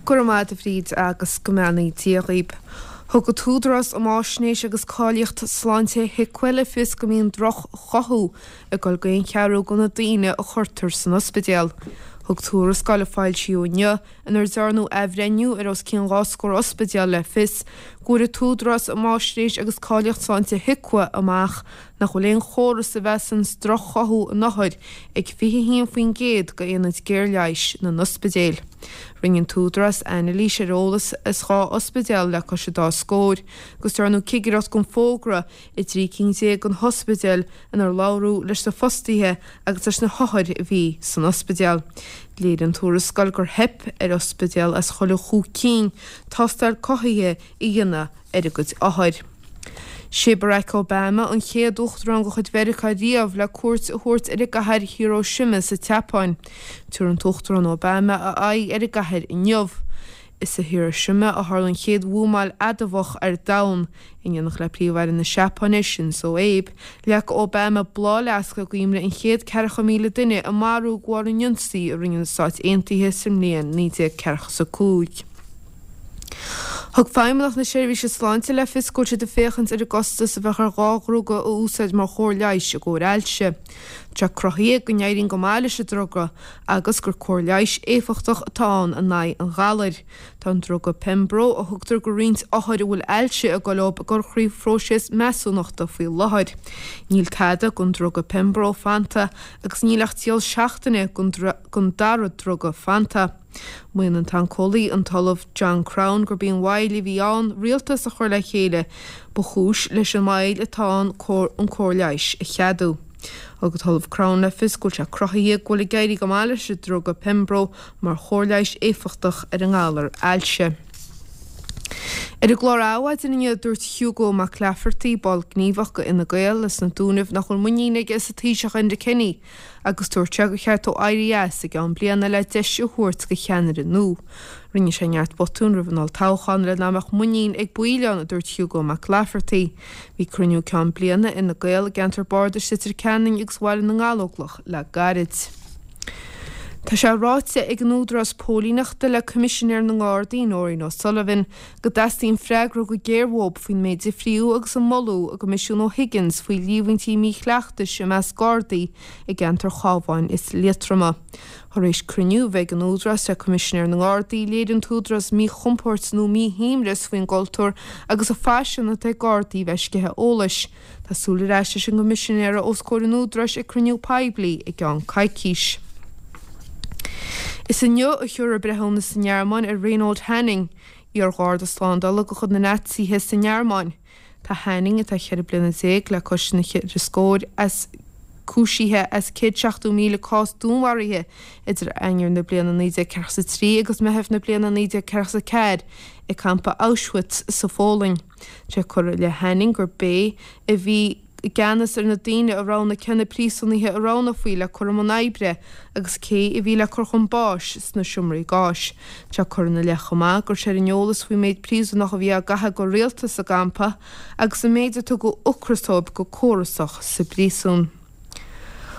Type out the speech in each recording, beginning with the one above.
Go raibh maith agat a Bhríd agus go mbeannaí Dia dhaoib. Thug an tÚdarás um Fháisnéis agus Cáilíocht Sláinte HIQA le fios go mbíonn droch-chothú ag dul go aon cheathrú de na daoine a chuirtear san ospidéal. Thug tuarascáil a foilsíodh inniu inar dearnadh athbhreithniú ar os cionn 2 scór ospidéal le fios go bhfuair an tÚdarás um Fháisnéis agus Cáilíocht Sláinte HIQA amach nach bhfuil aon chóras a mheasann droch-chothú in othair ag 21% d'aonaid géarleighis na n-ospidéil. Rinne an tÚdarás anailís ar eolas as 12 ospidéal le cois an dá scóir agus dearnadh cigireacht gan fógra i dtrí cinn de na hospidéil inar labhradh leis na fostaithe agus leis na hothair a bhí san ospidéal. Léirigh an tuarascáil gur theip ar ospidéal as chuile chúig cinn tástáil cothaithe a dhéanamh ar a gcuid othar. Sé Barack Obama an chéad uachtarán de chuid Mheiriceá riamh le cuairt a thabhairt ar an gcathair Hiroshima sa tSeapáin. Tabharfaidh an tUachtarán Obama a aghaidh ar an gcathair inniu. Is i Hiroshima a tharla an chéad bhuamáil adamhach ar domhan. In éineacht le Príomh-Aire na Seapáine, Shinzo Abe, leag Obama bláthfhleasc i gcuimhne an chéad 40,000 duine a maraíodh de bharr an ionsaí a rinne na Stáit Aontaithe sa mbliain 1945. Thug Feidhmeannacht na Seirbhíse Sláinte le fios go bhfuil siad ag féachaint ar an gcostas a bheadh ar 2 dhruga a úsáid mar chóir leighis i gcomhair ailse. Tá sé cruthaithe go n-éiríonn go maith leis an druga agus gur cóir leighis éifeachtach atá ann in aghaidh an ghalair. Tá an druga Pembro, a thugtar go roinnt othair a bhfuil ailse ag dul leo, ag dul thrí phróiseas measúnachta faoi láthair. Níl tada den druga Pembro fanta agus níl ach triail seachtaine den dara druga fanta. Maíonn an t-oncólaí, an tOllamh John Crown, gurb í an mhoill a bhí ann rialtas a chur le chéile ba chúis leis an moill atá ann an cóir leighis a cheadú. Thug an tOllamh Crown le fios go bhfuil sé cruthaithe go bhfuil ag éirí go maith leis an druga Pembro mar chóir leighis éifeachtach ar an ngalar ailse. Ar an gclár Adhmhaidin inniu, dúirt Hugo Mac Laifeartaigh, ball gníomhach de Fhine Gael as na Dúnaibh nach bhfuil muinín aige sa Taoiseach Enda Kenny agus dúirt sé gur cheart dó éirí as i gceann bliana le deis a thabhairt do cheannaire nua. Rinne sé neart botún roimh an olltoghchán le nach mbeadh muinín ag baill ann, a dúirt Hugo Mac Laifeartaigh. Bhí cruinniú ceann bliana Fhine Gael i gceantar bardais Leitir Ceanainn agus Bhaile na nGallóglach le gairid. Tá sé ráite ag an Údarás Póilíneachta le Coimisinéir na nGardaí, Nóirín O'Sullivan, go dteastaíonn freagra go géar uathu faoin méid a fríodh agus a moladh i gCoimisiún O'Higgins faoi líomhaintí míchleachtais i measc Gardaí i gceantar Chabháin is Liatroma. Tar éis cruinniú a bheith ag an Údarás le Coimisinéir na nGardaí, léirigh an tÚdarás míchompord nó míshuaimhneas faoin gcultúr agus an phaisean atá ag Gardaí bheith ag sceitheadh eolais. Tá súil ar ais leis an gCoimisinéara os comhair an Údaráis ag cruinniú poiblí i gceann coicís. Is inniu a thiúrfar breithiúnas sa nGearmáin ar Reinhold Hanning, iar-gharda slándála de chuid na Naitsithe sa nGearmáin. Tá Hanning, atá 14 bliana le cois na cheithre scór, as cúisithe as 170,000 cás dúnmharaithe idir Eanáir na bliana 1943 agus Meitheamh na bliana 1944 i gcampa Auschwitz sa Pholainn. Tá sé curtha i leith Hanning gurb é a bhí i gceannas ar na daoine a roghnaigh cé na príosúnaithe a roghnófaí le cur i mbun oibre agus cé a bhí le cur chun báis sna seomraí gáis. Tá curtha ina leith chomh maith go raibh sé ar an eolas faoin méid príosúnach a bhí á gcaitheamh go rialta sa gcampa agus an méid a tugadh ocras dóibh go córasach sa bpríosún.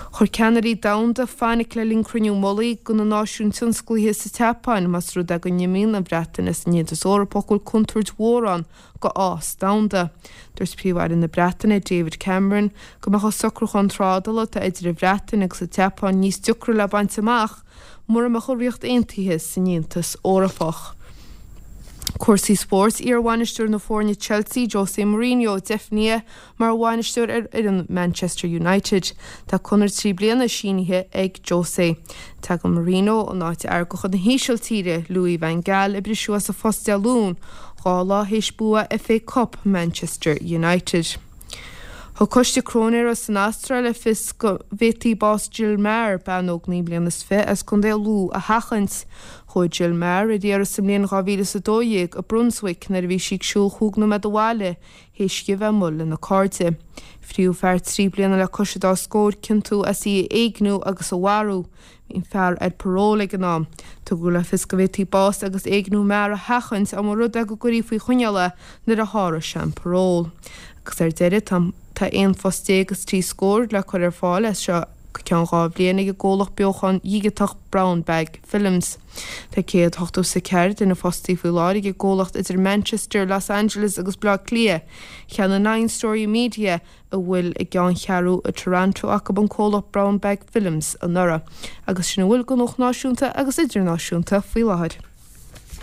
Chuir ceannairí domhanda fainic le linn cruinniú mullaigh de na náisiúin tionsclaithe sa tSeapáin más rud é go n-imíonn an Bhreatain as an Aontas Eorpach go bhfuil contúirt mhór ann go fhás domhanda. Dúirt Príomh-Aire na Breataine, David Cameron, go mbeadh an socrúchán trádála atá idir an Bhreatain agus an tSeapáin níos deacra le baint amach mura mbeadh an Ríocht Aontaithe san Aontas Eorpach. Cúrsaí spóirt, Iar-bhainisteoir na foirne Chelsea, Jose Mourinho, deimhnithe mar bhainisteoir ar fhoireann Manchester United. Tá conradh 3 bliana sínithe ag Jose. Tagann Mourinho in áit fhear de chuid na hÍsiltíre, Louis van Gaal, a briseadh as a phost Dé Luain, 2 lá théis bua FA Cup Manchester United. Thug coiste cróinéara san Astráil le fios go bhféadfaí bás Jill Meagher, bean óg 29 bliana as Contae Lú, a sheachaint. Chuaigh Jill Meagher ar iarraidh sa mbliain 2012 i Brunswick nuair a bhí sí ag siúl chúig nóiméad abhaile théis di a bheith amuigh lena cairde. Fríodh fear 3 bliana le cois an dá scór ciontú as í a éigniú agus a mharú. Bhí an fear ar parole ag an am. Tugadh le fios go bhféadfaí bás agus éigniú Meagher a sheachaint dá mba rud é go gcuirí faoi choinneáil é nuair a sháródh sé an parole. Agus ar deireadh, tá 11 phost is trí scór le cur ar fáil as seo. go ceann 2 bhliain ag an gcomhlacht beochan dhigiteach Brown Bag Films. Tá 184 duine fostaithe faoi láthair ag an gcomhlacht idir Manchester, Los Angeles agus Baile Átha Cliath. Cheannaigh Nine Story Media, a bhfuil a gceanncheathrú i Toronto acu, an comhlacht Brown Bag Films anuraidh. Agus sin a bhfuil de nuacht náisiúnta agus idirnáisiúnta faoi láthair.